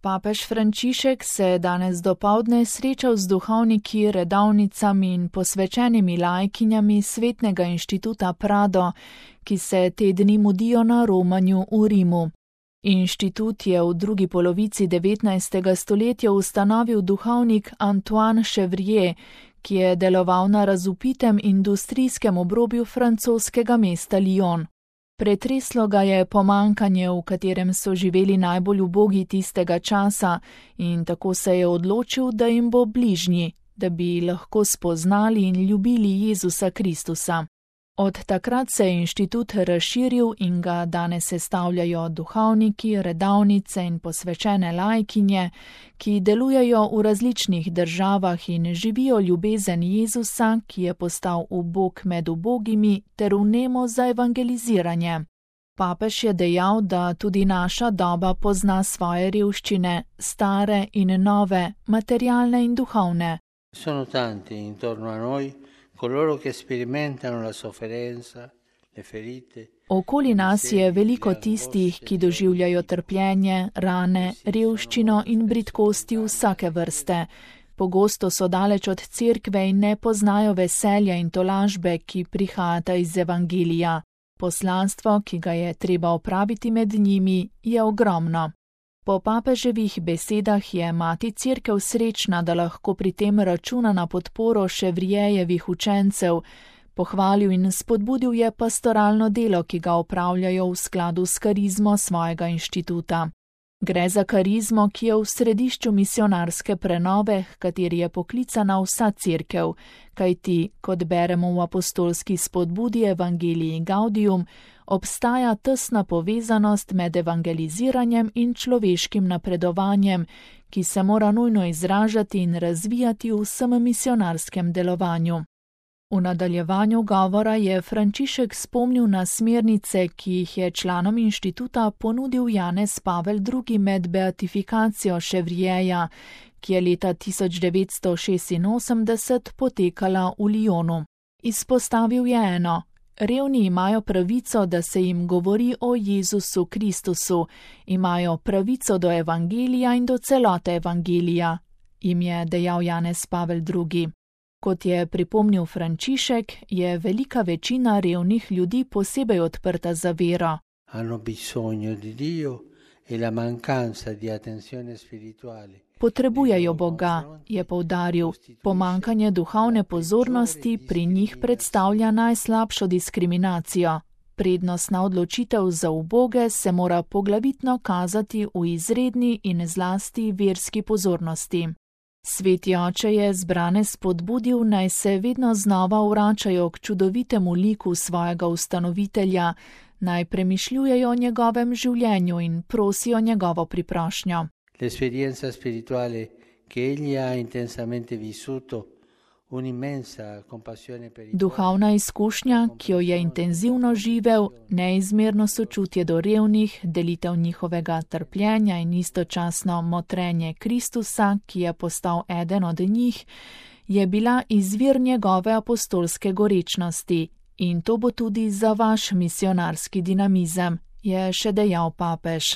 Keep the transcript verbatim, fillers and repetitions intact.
Papež Frančišek se je danes dopoldne srečal z duhovniki, redovnicami in posvečenimi laikinjami Svetnega inštituta Prado, ki se te dni mudijo na romanju v Rimu. Inštitut je v drugi polovici devetnajstega stoletja ustanovil duhovnik Antoine Chevrier, ki je deloval na razvpitem industrijskem obrobju francoskega mesta Lyon. Pretreslo ga je pomankanje, v katerem so živeli najbolj ubogi tistega časa, in tako se je odločil, da jim bo bližnji, da bi lahko spoznali in ljubili Jezusa Kristusa. Od takrat se je inštitut razširil in ga danes sestavljajo duhovniki, redovnice in posvečene laikinje, ki delujejo v različnih državah in živijo ljubezen Jezusa, ki je postal ubog med ubogimi, ter vnemo za evangeliziranje. Papež je dejal, da tudi naša doba pozna svoje revščine, stare in nove, materialne in duhovne. Sono tanti intorno a noi coloro che sperimentano la sofferenza, le ferite. Okoli nas je veliko tistih, ki doživljajo trpljenje, rane, revščino in bridkosti vsake vrste. Pogosto so daleč od cerkve in ne poznajo veselja in tolažbe, ki prihajata iz evangelija. Poslanstvo, ki ga je treba opraviti med njimi, je ogromno. Po papeževih besedah je mati cerkev srečna, da lahko pri tem računa na podporo Chevrierjevih učencev. Pohvalil in spodbudil je pastoralno delo, ki ga opravljajo v skladu s karizmo svojega inštituta. Gre za karizmo, ki je v središču misionarske prenove, h kateri je poklicana vsa cerkev, kajti, kot beremo v apostolski spodbudi Evangelii Gaudium, obstaja tesna povezanost med evangeliziranjem in človeškim napredovanjem, ki se mora nujno izražati in razvijati v vsem misionarskem delovanju. V nadaljevanju govora je Frančišek spomnil na smernice, ki jih je članom inštituta ponudil Janez Pavel drugi med beatifikacijo Chevrierja, ki je leta tisoč devetsto šestinosemdeset potekala v Lyonu. Izpostavil je eno: revni imajo pravico, da se jim govori o Jezusu Kristusu, imajo pravico do evangelija in do celote evangelija, jim je dejal Janez Pavel drugi. Kot je pripomnil Frančišek, je velika večina revnih ljudi posebej odprta za vero. Hanno bisogno di Dio e la mancanza di attenzione spirituale. Potrebujejo Boga, je poudaril. Pomankanje duhovne pozornosti pri njih predstavlja najslabšo diskriminacijo. Prednostna odločitev za uboge se mora poglavitno kazati v izredni in zlasti verski pozornosti. Sveti oče je zbrane spodbudil, naj se vedno znova vračajo k čudovitemu liku svojega ustanovitelja, naj premišljujejo o njegovem življenju in prosijo njegovo priprošnjo. L'esperienza spirituale che egli ha intensamente vissuto, un'immensa compassione per i Duhovna izkušnja, ki jo je intenzivno živel, neizmerno sočutje do revnih, delitev njihovega trpljenja in istočasno motrenje Kristusa, ki je postal eden od njih, je bila izvir njegove apostolske gorečnosti. In to bo tudi za vaš misionarski dinamizem, je še dejal papež.